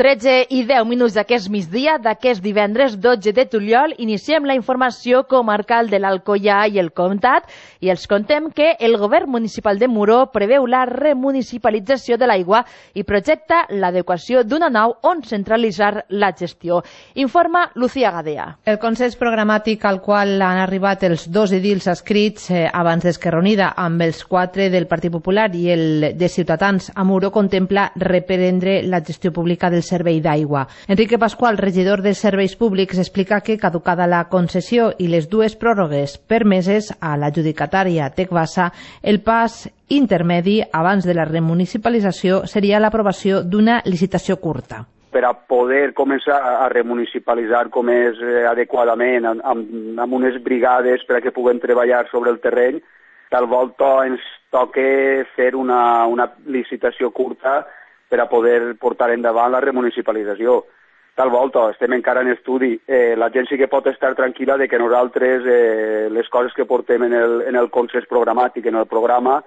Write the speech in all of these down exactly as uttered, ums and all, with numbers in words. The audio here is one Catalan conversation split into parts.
tretze i deu minuts d'aquest migdia, d'aquest divendres dotze de juliol, iniciem la informació comarcal de l'Alcoià i el Comtat i els contem que el govern municipal de Muro preveu la remunicipalització de l'aigua i projecta l'adequació d'una nau on centralitzar la gestió. Informa Lucía Gadea. El consens programàtic al qual han arribat els dos edils escrits eh, abans d'Esquerra Unida amb els quatre del Partit Popular i el de Ciutadans a Muro contempla reprendre la gestió pública del servei d'aigua. Enrique Pascual, regidor de Serveis Públics, explica que caducada la concessió i les dues pròrrogues permeses a l'adjudicatària Tecbasa, el pas intermedi abans de la remunicipalització seria l'aprovació d'una licitació curta. Per a poder començar a remunicipalitzar com és eh, adequadament, amb, amb unes brigades per a que puguem treballar sobre el terreny, tal volta ens toca fer una, una licitació curta per a poder portar endavant la remunicipalització. Tal volta, estem encara en estudi. Eh, la gent sí que pot estar tranquil·la de que nosaltres eh, les coses que portem en el, en el consens programàtic, en el programa,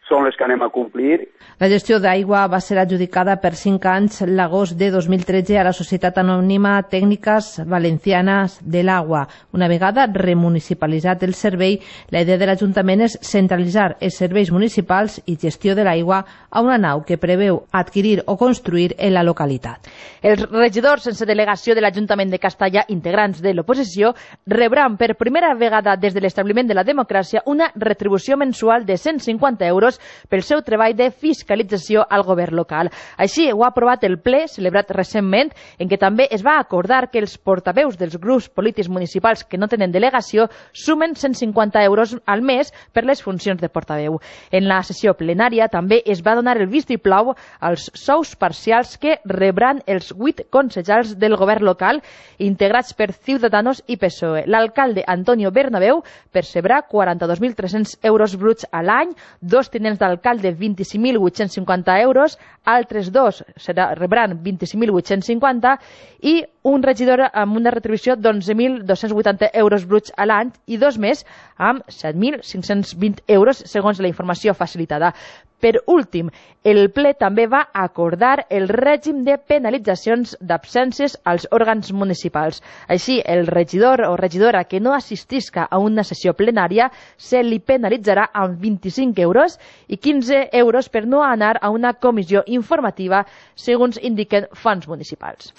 són les que anem a complir. La gestió d'aigua va ser adjudicada per cinc anys l'agost de dos mil tretze a la Societat Anònima Tècniques Valencianes de l'Aigua. Una vegada remunicipalitzat el servei, la idea de l'Ajuntament és centralitzar els serveis municipals i gestió de l'aigua a una nau que preveu adquirir o construir en la localitat. Els regidors sense delegació de l'Ajuntament de Castalla, integrants de l'oposició, rebran per primera vegada des de l'establiment de la democràcia una retribució mensual de cent cinquanta euros pel seu treball de fiscalització al govern local. Així ho ha aprovat el ple celebrat recentment, en què també es va acordar que els portaveus dels grups polítics municipals que no tenen delegació sumen cent cinquanta euros al mes per les funcions de portaveu. En la sessió plenària també es va donar el vistiplau als sous parcials que rebran els vuit concejals del govern local integrats per Ciudadanos i P S O E. L'alcalde Antonio Bernabeu percebrà quaranta-dos mil tres-cents euros bruts a l'any, dos tinents d'alcalde vint-i-cinc mil vuit-cents cinquanta euros, altres dos serà, rebran vint-i-cinc mil vuit-cents cinquanta i un regidor amb una retribució d'onze mil dos-cents vuitanta euros bruts a l'any i dos més amb set mil cinc-cents vint euros segons la informació facilitada. Per últim, el ple també va acordar el règim de penalitzacions d'absències als òrgans municipals. Així, el regidor o regidora que no assistisca a una sessió plenària se li penalitzarà amb vint-i-cinc euros i quinze euros per no anar a una comissió informativa, segons indiquen fonts municipals.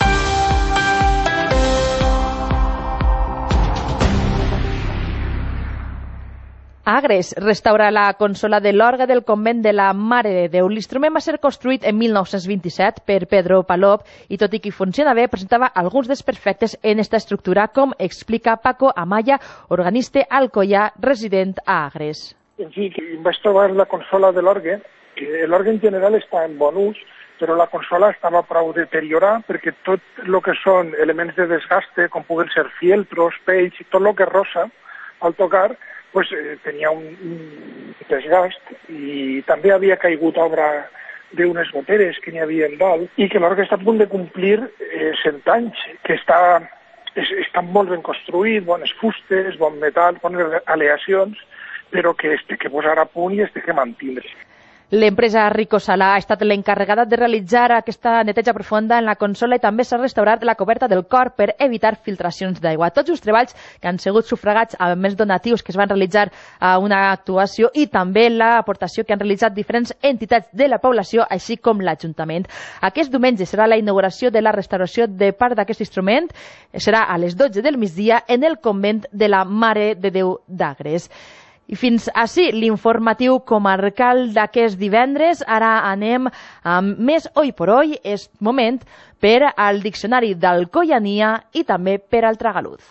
Agres restaura la consola de l'orgue del convent de la Mare de Déu. L'instrument va ser construït en mil nou-cents vint-i-set per Pedro Palop i, tot i que funciona bé, presentava alguns desperfectes en esta estructura, com explica Paco Amaya, organista alcoià resident a Agres. En fi, vaig trobar la consola de l'orgue, que l'orgue en general està en bon ús, però la consola estava prou deteriorada perquè tot el que són elements de desgaste, com puguen ser fieltros, pells i tot el que rosa al tocar, pues, eh, tenia un, un desgast i també havia caigut obra d'unes goteres que n'hi havia en dalt i que l'orgue està a punt de complir eh, cent anys, que està, és, està molt ben construït, bones fustes, bon metall, bones aleacions, però que es té que posar a punt i es té que mantindre. L'empresa Rico Salà ha estat l'encarregada de realitzar aquesta neteja profunda en la consola i també s'ha restaurat la coberta del cor per evitar filtracions d'aigua. Tots els treballs que han sigut sufragats amb més donatius que es van realitzar a una actuació i també l'aportació que han realitzat diferents entitats de la població, així com l'Ajuntament. Aquest diumenge serà la inauguració de la restauració de part d'aquest instrument. Serà a les dotze del migdia en el convent de la Mare de Déu d'Agres. I fins ací l'informatiu comarcal d'aquest divendres. Ara anem amb més Oi por Hoy. És moment per al diccionari d'alcoiania i també per al tragaluz.